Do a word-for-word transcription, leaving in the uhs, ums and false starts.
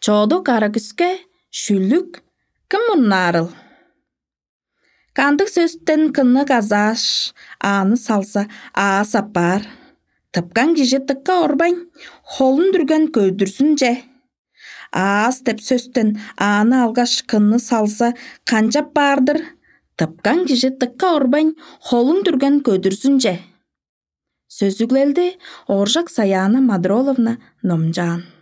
Чоду карагүске шүлүк кым мурнаарыл? Кандыг сөстен кынны казааш, ааны салза, аас аппаар? Тыпкан кижи дыкка орбайн, холун дүрген көдүрзүнче. Аас деп сөстен ааны алгаш, кынны салза, канчап баар-дыр? Тыпкан кижи дыкка орбайн, холун дүрген көдүрзүнче. Сөзүглелди Ооржак Саяна Мадроловна номчаан.